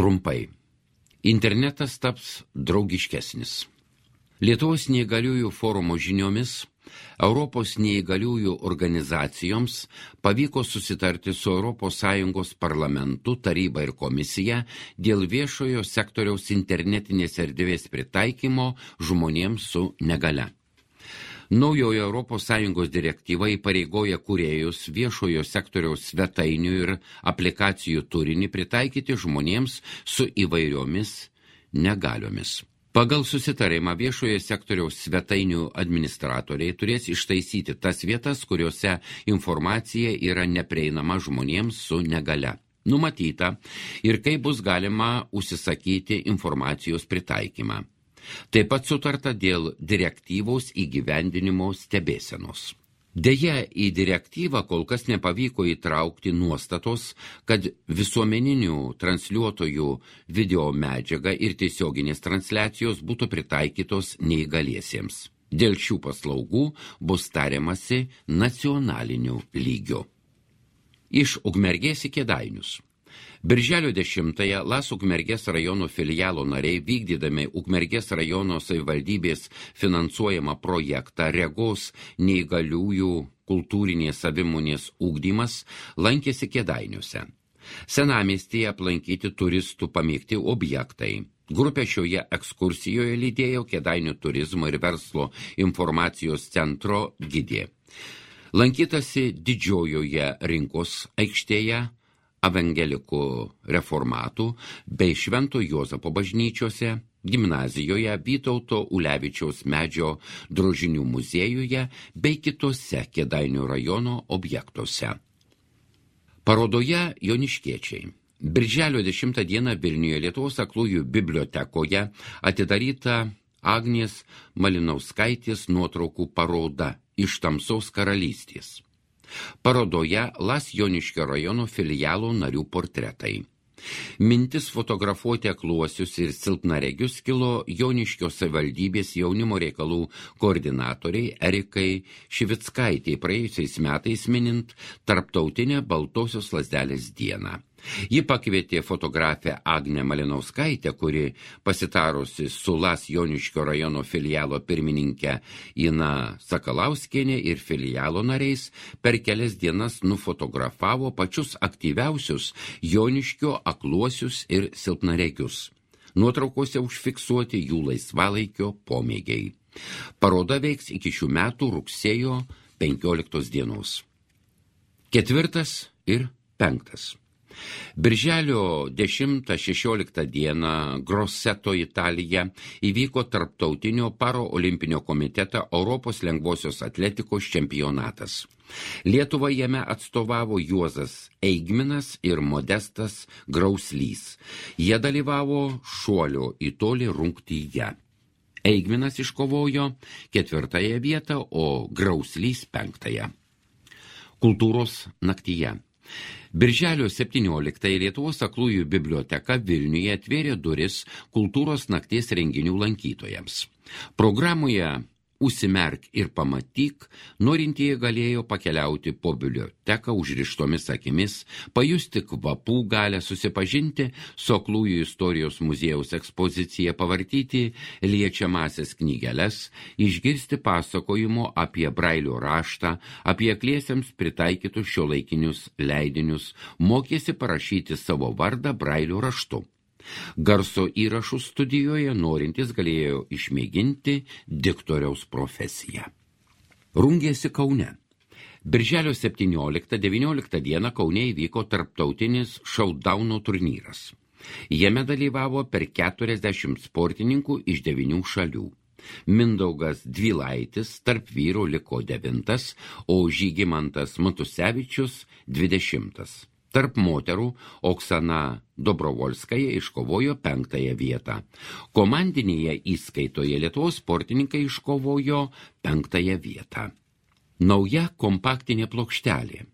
Trumpai. Internetas taps draugiškesnis. Lietuvos neįgaliųjų forumo žiniomis Europos neįgaliųjų organizacijoms pavyko susitarti su ES parlamentu, taryba ir komisija dėl viešojo sektoriaus internetinės erdvės pritaikymo žmonėms su negalia. Naujojo ES direktyva įpareigoja kūrėjus viešojo sektoriaus svetainių ir aplikacijų turinį pritaikyti žmonėms su įvairiomis negaliomis. Pagal susitarimą viešojo sektoriaus svetainių administratoriai turės ištaisyti tas vietas, kuriuose informacija yra neprieinama žmonėms su negalia. Numatyta ir kaip bus galima užsisakyti informacijos pritaikymą. Taip pat sutarta dėl direktyvos įgyvendinimo stebėsenos. Deja, į direktyvą kol kas nepavyko įtraukti nuostatos, kad visuomeninių transliuotojų video medžiaga ir tiesioginės transliacijos būtų pritaikytos neįgaliesiems. Dėl šių paslaugų bus tariamasi nacionaliniu lygiu. Iš Ukmergės į Kėdainius. Birželio 10-ąją LAS Ukmergės rajono filialo nariai, vykdydami Ukmergės rajono savivaldybės finansuojamą projektą Regos neįgaliųjų kultūrinės savimonės ugdymas, lankėsi Kėdainiuose. Senamiestyje aplankyti turistų pamėgti objektai. Grupė šioje ekskursijoje lydėjo Kėdainių turizmo ir verslo informacijos centro gidė. Lankytasi Didžiojoje rinkos aikštėje, evangelikų reformatų bei Švento Juozapo bažnyčiose, gimnazijoje, Vytauto Ulevičiaus medžio drožinių muziejuje bei kitose Kėdainių rajono objektuose. Parodoje Joniškiečiai. Birželio 10 dieną Vilniuje Lietuvos aklųjų bibliotekoje atidaryta Agnės Malinauskaitės nuotraukų paroda Iš tamsaus karalystės. Parodoje LAS Joniškio rajono filialo narių portretai. Mintis fotografuoti akluosius ir silpnaregius kilo Joniškio savivaldybės jaunimo reikalų koordinatoriai Erikai Šivickaitei praėjusiais metais minint Tarptautinę Baltosios lazdelės dieną. Ji pakvietė fotografę Agnę Malinauskaitę, kuri pasitarusi su LAS Joniškio rajono filialo pirmininke Ina Sakalauskienė ir filialo nariais, per kelias dienas nufotografavo pačius aktyviausius Joniškio akluosius ir silpnaregius. Nuotraukose užfiksuoti jų laisvalaikio pomėgiai. Paroda veiks iki šių metų rugsėjo 15 dienos. 4 ir 5. Birželio 10-16 dieną Grosseto, Italija, įvyko tarptautinio paraolimpinio komiteto Europos lengvosios atletikos čempionatas. Lietuvą jame atstovavo Juozas Eigminas ir Modestas Grauslys. Jie dalyvavo šuolio į tolį rungtyje. Eigminas iškovojo 4 vietą, o Grauslys 5. Kultūros naktyje. Birželio 17 Lietuvos aklųjų biblioteka Vilniuje atvėrė duris kultūros nakties renginių lankytojams. Programoje Užsimerk ir pamatyk, norintieji galėjo pakeliauti po biblioteką užrištomis akimis, pajusti kvapų galę, susipažinti su aklųjų istorijos muziejaus ekspozicija, pavartyti liečiamasias knygeles, išgirsti pasakojimo apie Brailio raštą, apie akliesiems pritaikytus šiuolaikinius leidinius, mokėsi parašyti savo vardą Brailio raštu. Garso įrašų studijoje norintys galėjo išmėginti diktoriaus profesiją. Rungėsi Kaune. Birželio 17-19 dieną Kaune įvyko tarptautinis šautdauno turnyras. Jame dalyvavo per 40 sportininkų iš 9 šalių. Mindaugas Dvilaitis tarp vyrų liko 9, o Žygimantas Matusevičius 20. Tarp moterų Oksana Dobrovolskaja iškovojo 5 vietą. Komandinėje įskaitoje Lietuvos sportininkai iškovojo 5 vietą. Nauja kompaktinė plokštelė.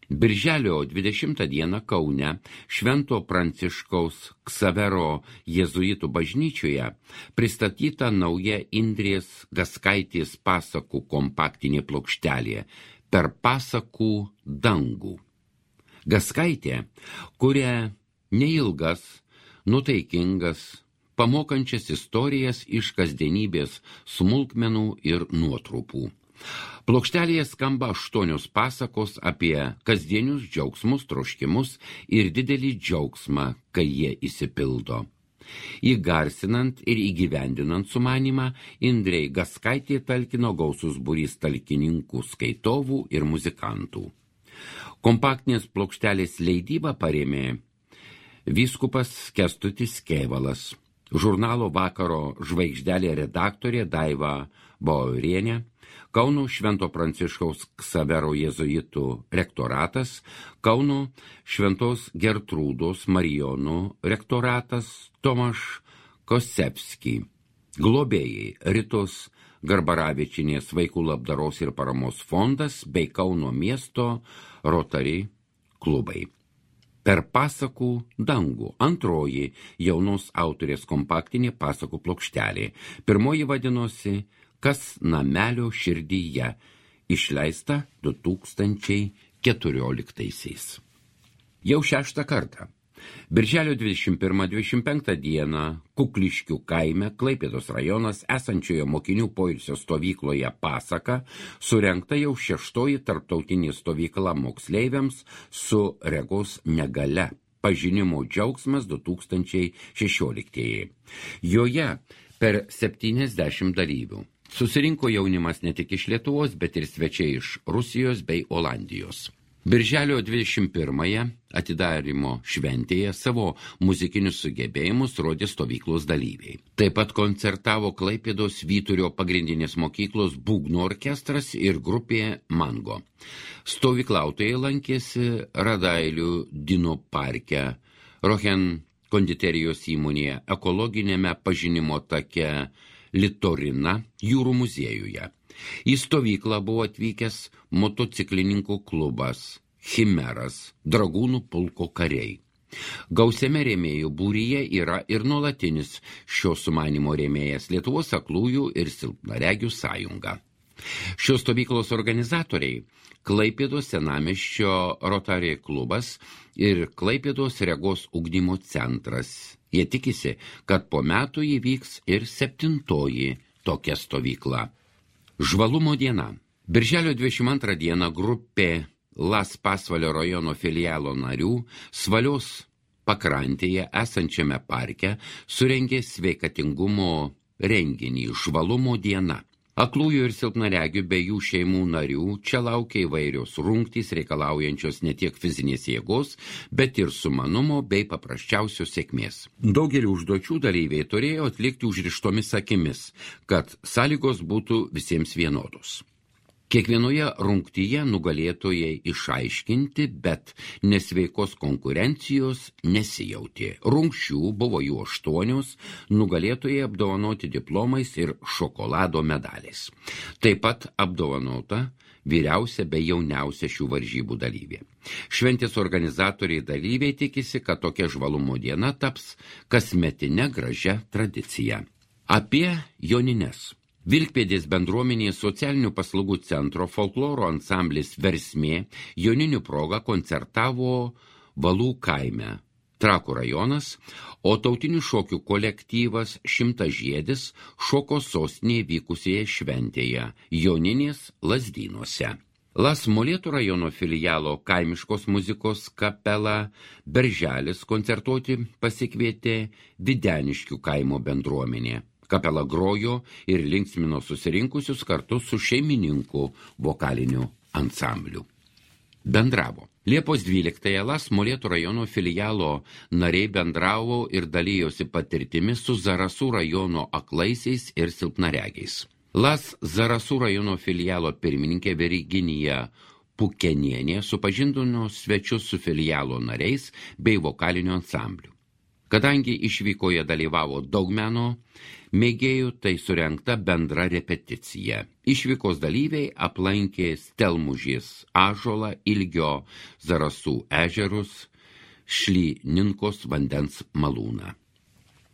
Birželio 20 dieną Kaune Švento Pranciškaus Ksavero jėzuitų bažnyčioje pristatyta nauja Indrės Gaskaitės pasakų kompaktinė plokštelė Per pasakų dangų. Gaskaitė kuria neilgas nutaikingas, pamokančias istorijas iš kasdienybės smulkmenų ir nuotrupų. Plokštelėje skamba 8 pasakos apie kasdienius džiaugsmus, troškimus ir didelį džiaugsmą, kai jie išsipildo. Įgarsinant ir įgyvendinant sumanymą, Indrei Gaskaitė talkino gausus būrys talkininkų, skaitovų ir muzikantų. Kompaktinės plokštelės leidybą parėmė vyskupas Kęstutis Kėvalas, žurnalo Vakaro žvaigždelė redaktorė Daiva Baurienė, Kauno Švento Pranciškaus Ksavero jėzuitų rektoratas, Kauno Šventos Gertrūdos Marijonų rektoratas Tomaš Kosevski, globėjai Ritos Garbaravičinės vaikų labdaros ir paramos fondas bei Kauno miesto Rotary klubai. Per pasakų dangų antroji jaunos autorės kompaktinė pasakų plokštelė. Pirmoji vadinosi Kas namelio širdyje, išleista 2014. Jau 6 kartą. Birželio 21-25 dieną Kukliškių kaime, Klaipėdos rajonas, esančioje mokinių poilsio stovykloje Pasaka, surengta jau 6 tarptautinė stovykla moksleiviams su regos negalia. Pažinimo džiaugsmas 2016. Joje per 70 dalyvių. Susirinko jaunimas ne tik iš Lietuvos, bet ir svečiai iš Rusijos bei Olandijos. Birželio 21-ąją atidarymo šventėje savo muzikinius sugebėjimus rodė stovyklos dalyviai. Taip pat koncertavo Klaipėdos Vyturio pagrindinės mokyklos būgnų orkestras ir grupė Mango. Stovyklautojai lankėsi Radailių Dino parke, Rohen konditerijos įmonėje, ekologinėme pažinimo take Litorina jūrų muziejuje. Į stovyklą buvo atvykęs motociklininkų klubas Chimeras, dragūnų pulko kariai. Gausiame rėmėjų būryje yra ir nuolatinis šio sumanimo rėmėjas Lietuvos aklųjų ir silpnaregių sąjunga. Šios stovyklos organizatoriai Klaipėdos senamiesčio Rotary klubas ir Klaipėdos regos ugdymo centras. Jie tikisi, kad po metų įvyks ir 7. tokia stovykla. Žvalumo diena. Birželio 22 dieną grupė Las Pasvalio rajono filialo narių Svalios pakrantėje esančiame parke surengė sveikatingumo renginį Žvalumo diena. Aklųjų ir silpnaregių bei jų šeimų narių čia laukia įvairios rungtys reikalaujančios ne tiek fizinės jėgos, bet ir sumanumo bei paprasčiausios sėkmės. Daugelį užduočių dalyviai turėjo atlikti užrištomis akimis, kad sąlygos būtų visiems vienodos. Kiekvienoje rungtyje nugalėtojai išaiškinti, bet nesveikos konkurencijos nesijautė. Rungčių buvo jų 8, nugalėtojai apdovanoti diplomais ir šokolado medaliais. Taip pat apdovanota vyriausia bei jauniausia šių varžybų dalyvė. Šventės organizatoriai dalyviai tikisi, kad tokia žvalumo diena taps kasmetine gražia tradicija. Apie jonines. Vilkpėdės bendruomenės socialinių paslaugų centro folkloro ansamblis Versmė joninių proga koncertavo Valų kaime, Trakų rajonas, o tautinių šokių kolektyvas Šimtažiedis šoko sostinėje vykusioje šventėje Joninės Lazdynuose. Las Molėtų rajono filialo kaimiškos muzikos kapela Berželis koncertuoti pasikvietė Videniškių kaimo bendruomenė. Kapela grojo ir linksmino susirinkusius kartu su šeimininku vokaliniu ansambliu. Bendravo. Liepos 12-ąją Las Molėtų rajono filialo nariai bendravo ir dalyjosi patirtimi su Zarasų rajono aklaisiais ir silpnaregiais. Las Zarasų rajono filialo pirmininkė Virginija Pukenienė supažindino svečius su filialo nariais bei vokaliniu ansambliu. Kadangi išvykoje dalyvavo daug meno mėgėjų, tai surengta bendra repeticija. Išvykos dalyviai aplankė Stelmužės ąžuolą, Ilgio Zarasų ežerus, Šlyninkos vandens malūną.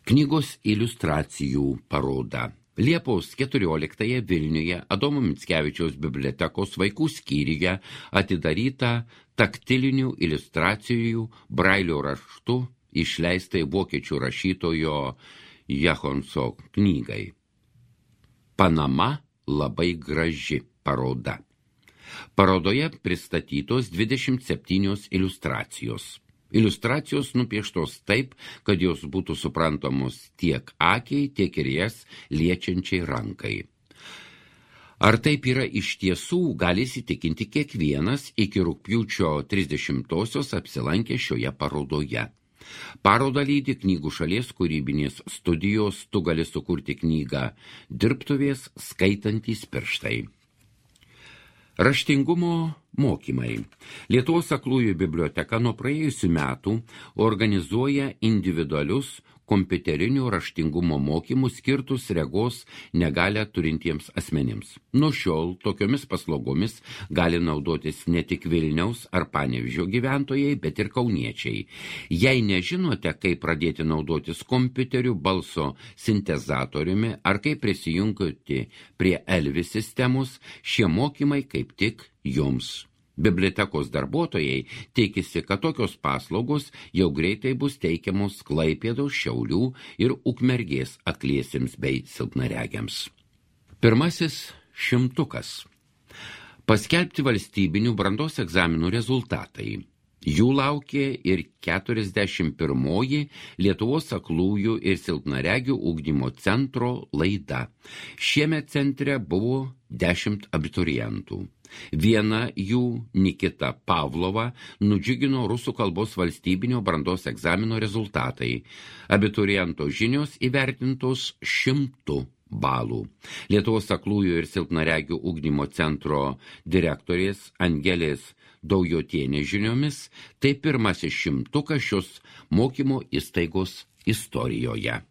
Knygos iliustracijų paroda. Liepos 14-ąją Vilniuje Adomo Mickevičiaus bibliotekos vaikų skyriuje atidaryta taktilinių iliustracijų brailio raštu išleistai vokiečių rašytojo Jahonso knygai. Panama labai graži paroda. Parodoje pristatytos 27 iliustracijos. Iliustracijos nupieštos taip, kad jos būtų suprantamos tiek akiai, tiek ir jas liečiančiai rankai. Ar taip yra iš tiesų, gali įsitikinti kiekvienas iki rugpjūčio 30-osios apsilankę šioje parodoje. Parodą lydi knygų šalies kūrybinės studijos Tu gali sukurti knygą dirbtuvės skaitantys pirštai. Raštingumo mokymai. Lietuvos aklųjų biblioteka nuo praėjusių metų organizuoja individualius kompiuterinio raštingumo mokymus skirtus regos negalią turintiems asmenims. Nuo šiol tokiomis paslaugomis gali naudotis ne tik Vilniaus ar Panevėžio gyventojai, bet ir kauniečiai. Jei nežinote, kaip pradėti naudotis kompiuteriu, balso sintezatoriumi ar kaip prisijungti prie Elvis sistemos, šie mokymai kaip tik jums. Bibliotekos darbuotojai tikisi, kad tokios paslaugos jau greitai bus teikiamos Klaipėdos, Šiaulių ir Ukmergės akliesiems bei silpnaregiams. Pirmasis 100. Paskelbti valstybinių brandos egzaminų rezultatai. Jų laukė ir 41-oji Lietuvos aklųjų ir silpnaregių ugdymo centro laida. Šiemet centre buvo 10 abiturientų. Viena jų, Nikita Pavlova, nudžiugino rusų kalbos valstybinio brandos egzamino rezultatai. Abituriento žinios įvertintos 100 balų. Lietuvos aklųjų ir silpnaregių ugdymo centro direktorės Angelės Daujotienės žiniomis, tai pirmasis 100 šios mokymo įstaigos istorijoje.